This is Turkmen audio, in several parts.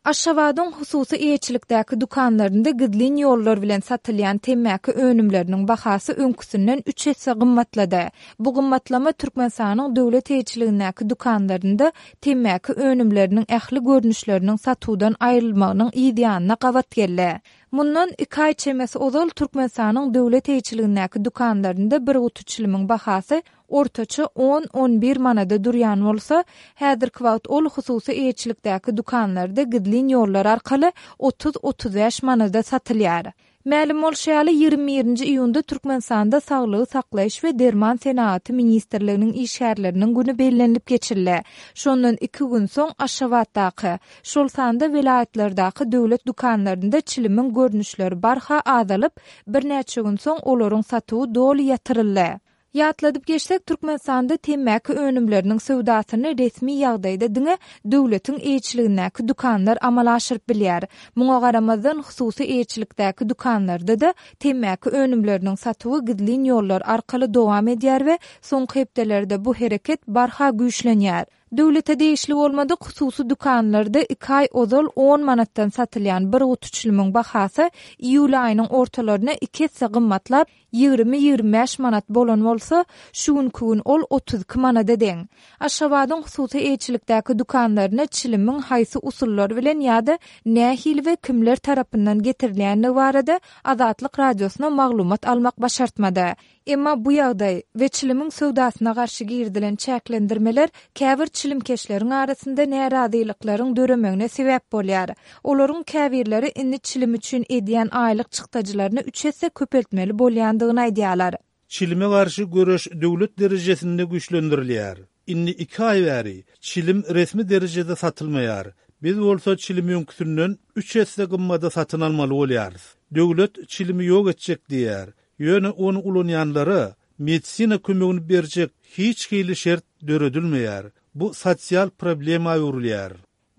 Aşgabadyň hususy eýeçilikdäki dükanlarynda gizlin ýollar bilen satylýan temmäki önümleriniň bahasy öňküsinden üç esse gymmatlady. Bu gymmatlama Türkmenistanyň döwlet eýeçiligindäki dükanlarynda temmäki önümleriniň ähli görnüşleriniň satuwdan aýrylmagynyň yz ýanyna gabat geldi. Mundan iki aý çemesi ozal Türkmenistanyň döwlet eýeçiligindäki dükanlarynda bir guty çilimiň bahasy ortaça on-on bir manada durýan bolsa, häzirki wagt ol hususy eýeçilikdäki dükanlarda gizlin ýollar arkaly 30-35 manada satylýar. Mälim bolşy ýaly, 21 nji iýunda Türkmenistanda Saglygy saklaýyş we derman senagaty ministrliginiň işgärleriniň güni bellenilip geçildi. Şondan iki gün soň Aşgabatdaky, şol sanda welaýatlardaky döwlet dükanlarynda çilimiň görnüşleri barha azalyp, birnäçe gün soň olaryň satuwy doly ýatyryldy. Ýatladyp geçsek, Türkmenistanda temmäki önümleriniň söwdasyny resmi ýagdaýda diňe döwletiň eýeçiligindäki dükanlar amala aşyryp bilýär. Muňa garamazdan, hususy eýeçilikdäki dükanlarda-da temmäki önümleriniň satuwy gizlin ýollar arkaly dowam edýär we soňky hepdelerde bu hereket barha güýçlenýär. Döwlete degişli bolmadyk hususy dükanlarda iki aý ozal on manatdan satylýan bir guty çilimiň bahasy iýul aýynyň ortalaryna iki esse gymmatlap, 20-25 manat bolan bolsa, şu günki gün ol 32 manada deň. Aşgabadyň hususy eýeçilikdäki dükanlaryna çilimiň haýsy usullar bilen ýa-da nähili we kimler tarapyndan getirilýändigi barada Azatlyk Radiosyna maglumat almak başartmady. Emma bu ýagdaý we çilimiň söwdasyna garşy girizilen çäklendirmeler käbir çilimkeşleriň arasynda närazylyklaryň döremegine sebäp bolýar. Olaryň käbirleri indi çilim üçin edýän aýlyk çykdajylaryny üç esse köpeltmeli bolýandygyny aýdýarlar. Çilime garşy göreş döwlet derejesinde güýçlendirilýär. Indi iki aý bäri çilim resmi derejede satylmaýar. Biz bolsa çilimi öňküsinden üç esse gymmada satyn almaly bolýarys. Döwlet çilimi ýok etjek diýýär. Ýöne ony ulanýanlara medisina kömegini berjek hiç hili şert döredilmeýär. Bu sosial problema öwrülýär.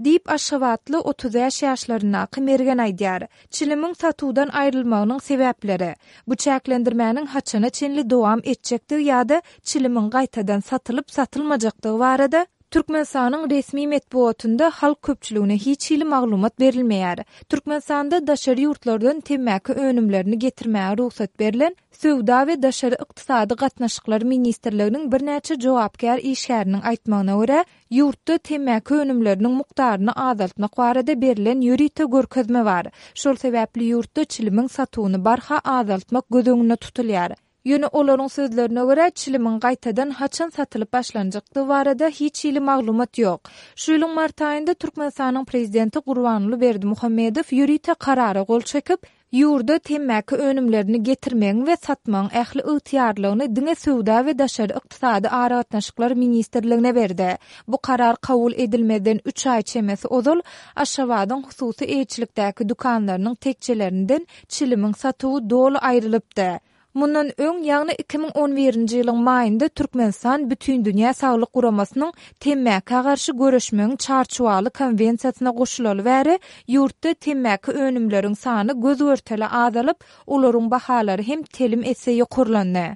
Diýip, aşgabatly 35 ýaşlaryndaky Mergen aýdýar. Çilimiň satuwdan aýrylmagynyň sebäpleri, bu çäklendirmäniň haçana çenli dowam etjekdigi ýa-da çilimiň gaýtadan satylyp-satylmajakdygy barada Türkmenistanyň resmi metbugatynda halk köpçüligine hiç hili maglumat berilmeýär. Türkmenistanda daşary ýurtlardan temmäki önümlerini getirmäge rugsat berlen Söwda we daşary ykdysady gatnaşyklar ministrliginiň birnäçe jogapkär işgäriniň aýtmagyna görä, ýurtda temmäki önümleriniň mukdaryny azaltmak barada berlen ýörite görkezme bar. Şol sebäpli ýurtda çilimiň satuwyny barha azaltmak göz öňünde tutulýar. Ýöne olaryň sözlerine görä, çilimiň gaýtadan haçan satylyp başlanjakdygy barada hiç hili maglumat ýok. Şu ýylyň mart aýynda Türkmenistanyň prezidenti Gurbanguly Berdimuhamedow ýörite karara gol çekip, ýurda temmäki önümlerini getirmegiň we satmagyň ähli ygtyýarlygyny diňe Söwda we daşary ykdysady aragatnaşyklar ministrligine berdi. Bu karar kabul edilmezden üç aý çemesi ozal Aşgabadyň hususy eýeçilikdäki dükanlarynyň tekjelerinden çilimiň satuwy doly aýrylypdy. Mundan öň, ýagny 2011-nji ýylyň maýynda Türkmenistan Bütindünýä Saglyk Guramasynyň temmäkä garşy göreşmegiň Çarçuwaly konwensiýasyna goşulaly bäri ýurtda temmäki önümleriň sany göz-görtele azalyp, olaryň bahalary hem telim esse ýokarlandy.